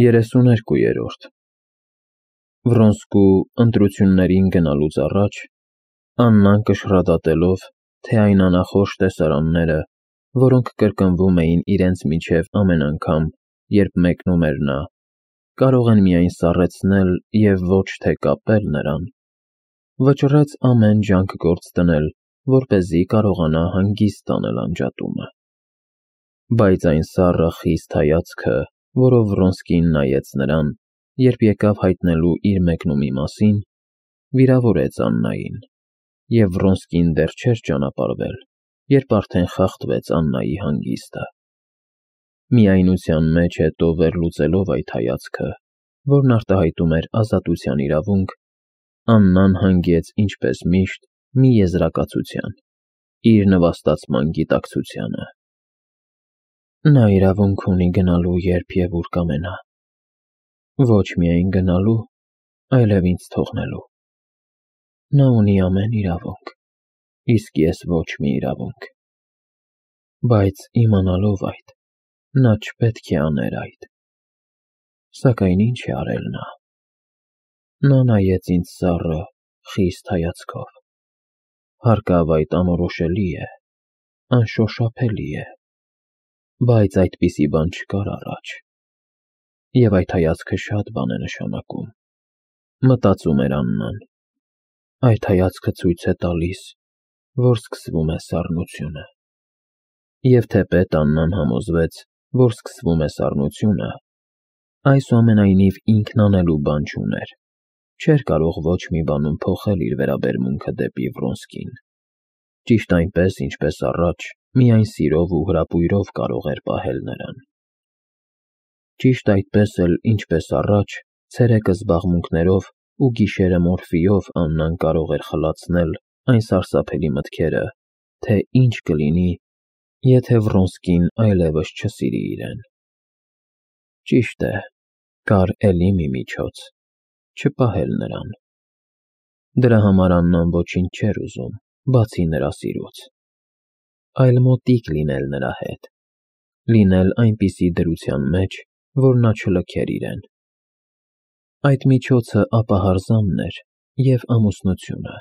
32-րդ Վրոնսկու ընտրություններին գնալուց առաջ Աննան կշռադատելով, թե այն անախորժ տեսարանները, որոնք կրկնվում էին իրենց միջև ամեն անգամ, երբ մեկնում էր նա, կարող են միայն սառեցնել և ոչ թե կապել նրան, վճռեց ամեն ջանք գործ դնել, որպեսզի կարողանա հանգիստ անել անջատումը։ Բայց այն սառը խիստ հայացքը, որով Վրոնսկին նայեց նրան, երբ եկավ հայտնելու իր մեկնումի մասին, վիրավորեց Աննային, և Վրոնսկին դեռ չէր ճանապարհվել, երբ արդեն խախտվեց Աննայի հանգիստը։ Միայնության մեջ հետո վերլուծելով այդ հայացքը, որն արտահայտում էր ազատության իրավունք, Աննան հանգեց ինչպես միշտ մի եզրակացության՝ իր նվաստացման գիտակցությանը։ Նա իրավունք ունի գնալու երբ և ուր կամենա, ոչ միայն գնալու, այլև ինձ թողնելու։ Նա ունի ամեն իրավունք, իսկ ես ոչ մի իրավունք։ Բայց իմանալով այդ, նա չպետք է աներ այդ։ Սակայն ինչ է արել նա։ Նա նայեց ինձ սառը, խիստ հայացքով։ Հարկավ այդ անորոշելի է, անշոշափելի է, բայց այդպիսի բան չկար առաջ։ Եվ այդ հայացքը շատ բան է նշանակում, մտածում էր Աննան։ Այդ հայացքը ցույց է տալիս, որ սկսվում է սառնությունը։ Եվ թեպետ Աննան համոզվեց, որ սկսվում է սառնությունը, այսուամենայնիվ ինքն անելու բան չուներ, չէր կարող ոչ մի բանում փոխել իր վերաբերմունքը դեպի Վրոնսկին։ Ճիշտ այնպես, ինչպես առաջ, միայն սիրով ու հրապույրով կարող էր պահել նրան։ Ճիշտ այդպես էլ, ինչպես առաջ, ցերեկը զբաղմունքներով ու գիշերը մորֆիով Աննան կարող էր խլացնել այն սարսափելի մտքերը, թե ինչ կլինի, եթե Վրոնսկին այլևս չսիրի իրեն։ Ճիշտ է, կար էլի մի միջոց՝ չպահել նրան։ Դրա համար Աննան ոչինչ չէր ուզում, բացի նրա սիրուց, այլ մոտիկ լինել նրա հետ, լինել այնպիսի դրության մեջ, որ նա չլքեր իրեն։ Այդ միջոցը ապահարզանն էր և ամուսնությունը։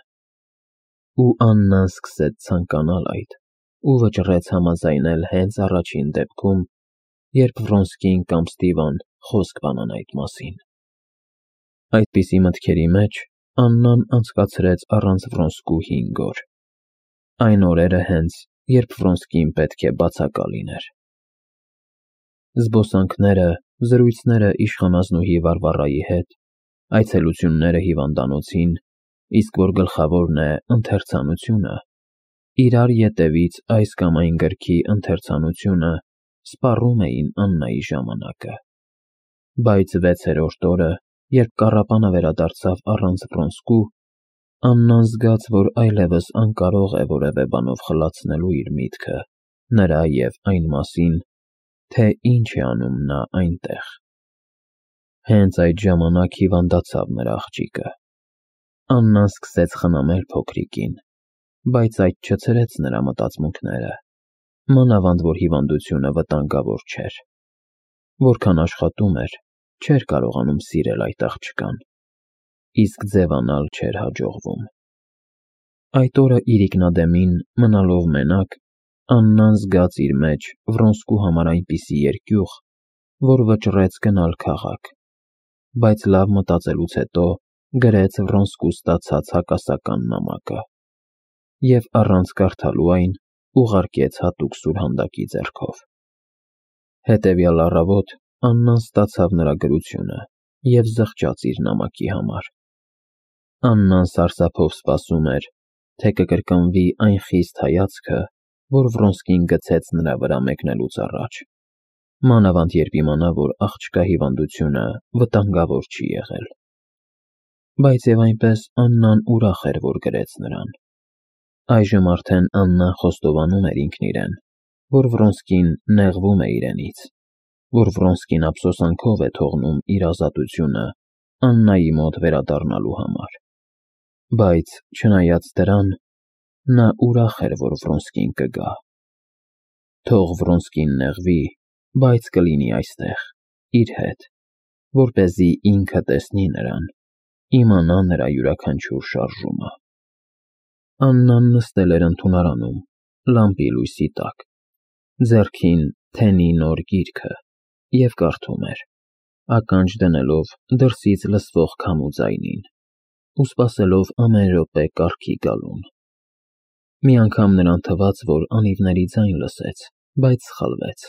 Ու Աննան սկսեց ցանկանալ այդ ու վճռեց համաձայնել հենց առաջին դեպքում, երբ Վրոնսկին կամ Ստիվան խոսք բանան այդ մասին։ Այդպիսի մտքերի մեջ Աննան անցկացրեց առանց Վրոնսկու 5 օր։ Այն օրերը հենց, երբ Վրոնսկին պետք է բացակա լիներ։ Զբոսանքները, զրույցները իշխանազնուհի Վարվարայի հետ, այցելությունները հիվանդանոցին, իսկ որ գլխավորն է ընթերցանությունը, իրար ետևից այս կամ այն գրքի ընթերցանությունը սպառում էին Աննայի ժամանակը։ Բայց 6-րդ օրը, երբ կառապանը վերադարձավ առանց Վրոնսկու, Աննան զգաց, որ այլևս անկարող է որևէ բանով խլացնելու իր միտքը նրա և այն մասին, թե ինչ է անում նա այնտեղ։ Հենց այդ ժամանակ հիվանդացավ նրա աղջիկը։ Աննան սկսեց խնամել փոքրիկին, բայց այդ չցրեց նրա մտածմունքները, մանավանդ որ հիվանդությունը վտանգավոր չէր։ Որքան աշխատում էր, չէր կարողանում սիրել այդ աղջկան, իսկ ձևանալ չէր հաջողվում։ Այդ օրը իրիկնադեմին, մնալով մենակ, Աննան զգաց իր մեջ Վրոնսկու համար այնպիսի երկյուղ, որ վճռեց գնալ քաղաք, բայց լավ մտածելուց հետո գրեց Վրոնսկու ստացած հակասական նամակը և առանց կարդալու այն ուղարկեց հատուկ սուրհանդակի ձեռքով։ Հետևյալ առավոտ Աննան ստացավ նրա գրությունը և զղջաց իր նամակի համար։ Աննան սարսափով սպասում էր, թե կկրկնվի այն խիստ հայացքը, որ Վրոնսկին գցեց նրա վրա մեկնելուց առաջ, մանավանդ երբ իմանա, որ աղջկա հիվանդությունը վտանգավոր չի եղել։ Բայց և այնպես Աննան ուրախ էր, որ գրեց նրան։ Այժմ արդեն Աննան խոստովանում էր ինքն իրեն, որ Վրոնսկին նեղվում է իրենից, որ Վրոնսկին ափսոսանքով է թողնում իր ազատությունը Աննայի մոտ վերադառնալու համար։ Բայց, չնայած դրան, նա ուրախ էր, որ Վրոնսկին կգա։ Թող Վրոնսկին նեղվի, բայց կլինի այստեղ, իր հետ, որպեսզի ինքը տեսնի նրան, իմանա նրա յուրաքանչյուր շարժումը։ Աննան նստել էր ընդունարանում, լամպի լույսի տակ, ձեռքին թենի նոր գիրքը և կարդում էր, ականջ դնելով դրսից լսվող քամու ձայնին ու սպասելով ամեն րոպե կառքի գալուն։ Մի անգամ նրան թվաց, որ անիվների ձայն լսեց, բայց սխալվեց։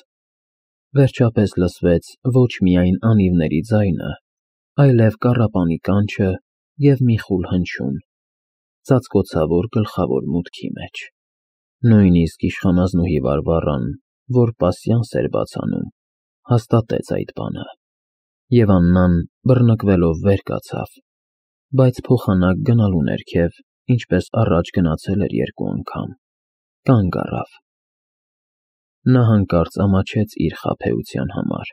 Վերջապես լսվեց ոչ միայն անիվների ձայնը, այլև կառապանի կանչը և մի խուլ հնչյուն, ծածկոցավոր գլխավոր մուտքի մեջ։ Նույնիսկ իշխանազնուհի Վարվառան, որ պասյանս էր բաց անում, հաստատեց այդ բանը, և Աննան բռնկվելով վեր կացավ, բայց փոխանակ գնալու ներքև, ինչպես առաջ գնացել էր 2 անգամ, կանգ առավ։ Նա հանկարծ ամաչեց իր խաբեության համար,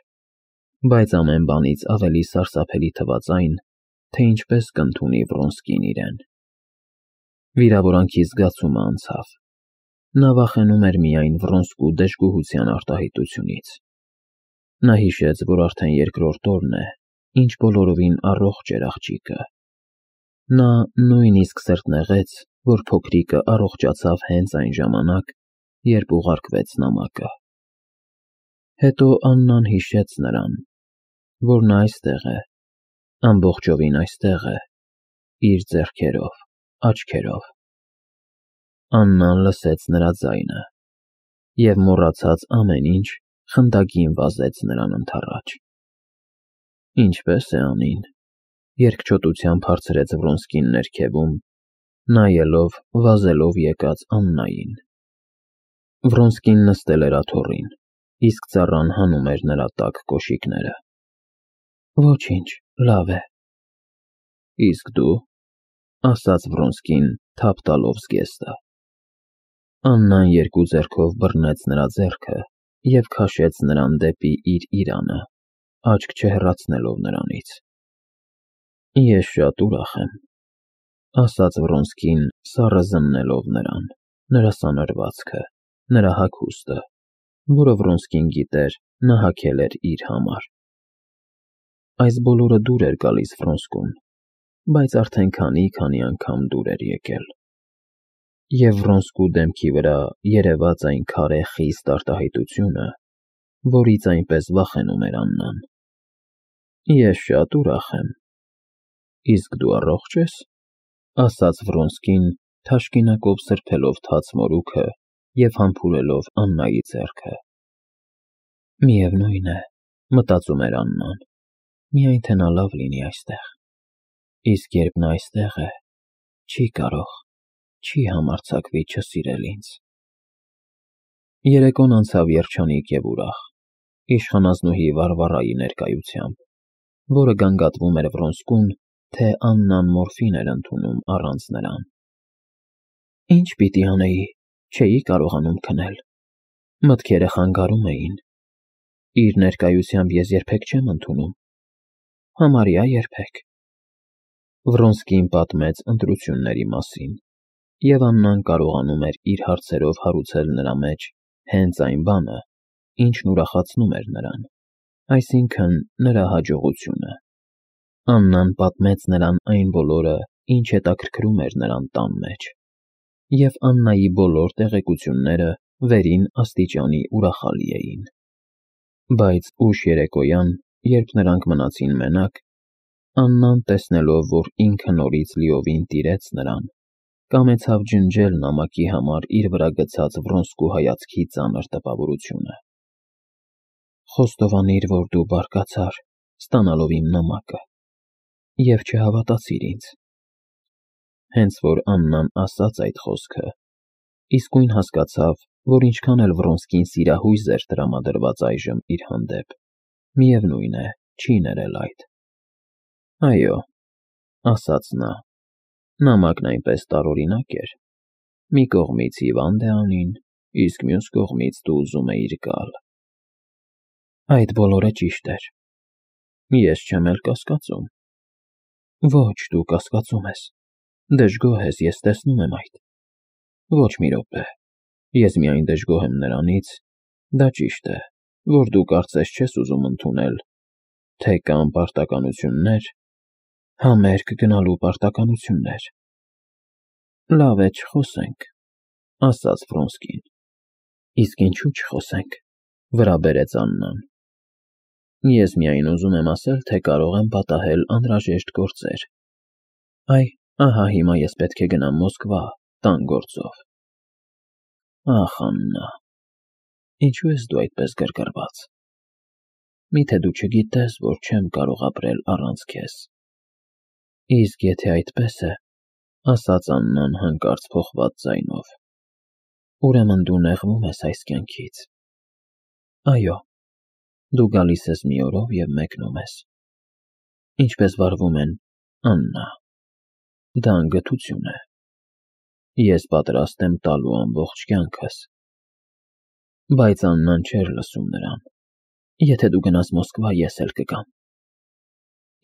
բայց ամեն բանից ավելի սարսափելի թվաց այն, թե ինչպես կընդունի Վրոնսկին իրեն։ Վիրավորանքի զգացումը անցավ։ Նա վախենում էր միայն Վրոնսկու դժգոհության արտահայտությունից։ Նա հիշեց, որ արդեն 2-րդ օրն է, ինչ բոլորովին առողջ էր աղջիկը։ Նա նույնիսկ սրտնեղեց, որ փոքրիկը առողջացավ հենց այն ժամանակ, երբ ուղարկվեց նամակը։ Հետո Աննան հիշեց նրան, որ նա այստեղ է, ամբողջովին այստեղ է, իր ձեռքերով, աչքերով։ Աննան լսեց նրա ձայնը և մոռացած ամեն ինչ խնդագին վազեց նրան ընդառաջ։ Ինչպե՞ս է Անին, երկչոտությամբ հարցրեց Վրոնսկին ներքևում, նայելով վազելով եկած Աննային։ Վրոնսկին նստել էր աթոռին, իսկ ծառան հանում էր նրա տաք կոշիկները։ Ոչինչ, լավ է։ Իսկ դու, ասաց Վրոնսկին, թափ տալով զգեստը։ Աննան 2 ձեռքով բռնեց նրա ձեռքը և քաշեց նրան դեպի իր իրանը, աչք չհեռացնելով նրանից։ Ես շատ ուրախ եմ, ասաց Վրոնսկին, սառը զննելով նրան, նրա սանրվածքը, նրա հագուստը, որը Վրոնսկին գիտեր, նա հագել էր իր համար։ Այս բոլորը դուր էր գալիս Վրոնսկուն, բայց արդեն քանի անգամ դուր էր եկել։ Եվ Վրոնսկու դեմքի վրա երևաց այն քարե խիստ արտահայտությունը, որից այնպես վախենում էր Աննան։ Ես շատ ուրախ եմ։ Իսկ դու առողջ ես, ասաց Վրոնսկին, թաշկինակով սրբելով թաց մորուքը և համբուրելով Աննայի ձեռքը։ Միևնույն է, մտածում էր Աննան, միայն թե նա լավ լինի այստեղ։ Իսկ երբ նա այստեղ է, չի կարող, չի համարձակվի չսիրել ինձ։ Երեկոն անցավ երջանիկ և ուրախ, իշխանազնուհի Վարվառայի ներկայությամբ, որը գանգատվում էր Վրոնսկուն, թե Աննան մորֆին էր ընդունում առանց նրան։ Ինչ պիտի անեի, չէի կարողանում քնել։ Մտքերը խանգարում էին։ Իր ներկայությամբ ես երբեք չեմ ընդունում։ Համարյա երբեք։ Վրոնսկին պատմեց ընտրությունների մասին, և Աննան կարողանում էր իր հարցերով հարուցել նրա մեջ հենց այն բանը, ինչն ուրախացնում էր նրան, այսինքն նրա հաջողությունը։ Աննան պատմեց նրան այն բոլորը, ինչ հետաքրքրում էր նրան տան մեջ, և Աննայի բոլոր տեղեկությունները վերին աստիճանի ուրախալի էին։ Բայց ուշ երեկոյան, երբ նրանք մնացին մենակ, Աննան, տեսնելով, որ ինքը նորից լիովին տիրեց նրան, կամեցավ ջնջել նամակի համար իր վրա գցած Վրոնսկու հայացքի ծանր տպավորությունը։ Խոստովանիր, որ դու բարկացար, ստանալով իմ նամակը, և չհավատացիր ինձ։ Հենց որ Աննան ասաց այդ խոսքը, իսկույն հասկացավ, որ ինչքան էլ Վրոնսկին սիրահույզ էր տրամադրված այժմ իր հանդեպ, միևնույն է, չի ներել այդ։ Այո, ասաց նա, նամակն այնպես տարօրինակ էր։ Մի կողմից հիվանդ է Անին, իսկ մյուս կողմից դու ուզում էիր գալ։ Այդ բոլորը ճիշտ էր։ Ես չեմ էլ կասկածում։ Ոչ, դու կասկածում ես։ Դժգոհ ես, ես տեսնում եմ այդ։ Ոչ մի րոպե։ Ես միայն դժգոհ եմ նրանից, դա ճիշտ է, որ դու կարծես չես ուզում ընդունել, Թե կան պարտականություններ, համերգ գնալու պարտականություններ։ Լավ է, չխոսենք, ասաց Վրոնսկին։ Իսկ ինչու չխոսենք, վրա բերեց Աննան։ Ես միայն ուզում եմ ասել, թե կարող եմ պատահել անհրաժեշտ գործեր։ Այ, ահա հիմա ես պետք է գնամ Մոսկվա, տան գործով։ Ախ, Աննա, ինչու ես դու այդպես գրգռված։ Միթե դու չգիտես, որ չեմ կարող ապրել առանց քեզ։ Իսկ եթե այդպես է, ասաց Աննան հանկարծ փոխված ձայնով, ուրեմն դու նեղվում ես այս կյանքից։ Այո, դու գալիս ես մի օրով և մեկնում ես։ Ինչպես վարվում են, Աննա, դա անգթություն է։ Ես պատրաստ եմ տալու ամբողջ կյանքս։ Բայց Աննան չէր լսում նրան։ Եթե դու գնաս Մոսկվա, ես էլ կգամ։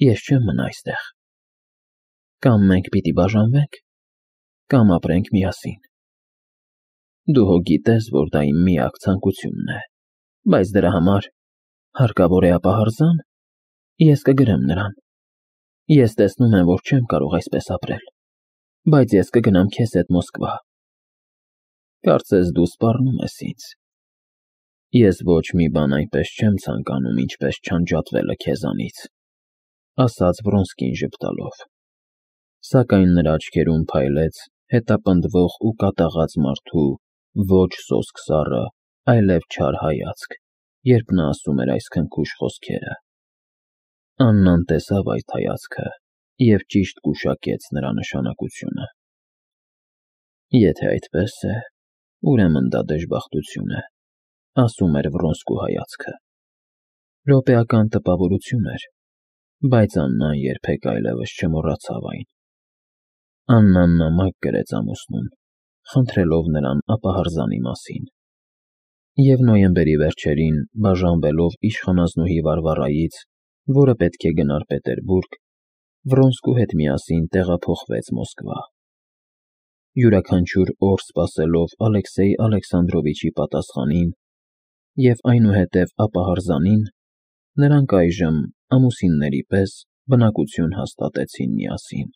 Ես չեմ մնա այստեղ։ Կամ մենք պիտի բաժանվենք, կամ ապրենք միասին։ Դու հո գիտես, որ դա իմ միակ ցանկությունն է, բայց դրա համար հարկավոր է ապահարզան, ես կգրեմ նրան։ Ես տեսնում եմ, որ չեմ կարող այսպես ապրել, բայց ես կգնամ քեզ հետ Մոսկվա։ Կարծես դու սպառնում ես ինձ։ Ես ոչ մի բան այնպես չեմ ցանկանում, ինչպես չանջատվելը քեզանից, ասաց Վրոնսկին ժպտալով։ Սակայն նրա աչքերում փայլեց հետապնդվող ու կատաղած մարդու ոչ սոսկ սառը, այլև չար հայացք, երբ նա ասում էր այս քնքուշ խոսքերը։ Աննան տեսավ այդ հայացքը և ճիշտ գուշակեց նրա նշանակությունը։ Եթե այդպես է, ուրեմն դա դժբախտություն է, ասում էր Վրոնսկու հայացքը։ Րոպեական տպավորություն էր, բայց Աննան երբեք այլևս չմոռացավ այն։ Աննան նամակ գրեց ամուսնուն, խնդրելով նրան ապահարզանի մասին։ Եվ նոյեմբերի վերջերին, բաժանվելով իշխանազնուհի Վարվարայից, որը պետք է գնար Պետերբուրգ, Վրոնսկու հետ միասին տեղափոխվեց Մոսկվա։ Յուրաքանչյուր օր սպասելով Ալեքսեյ Ալեքսանդրովիչի պատասխանին և այնուհետև ապահարզանին, նրանք այժմ ամուսինների պես բնակություն հաստատեցին միասին։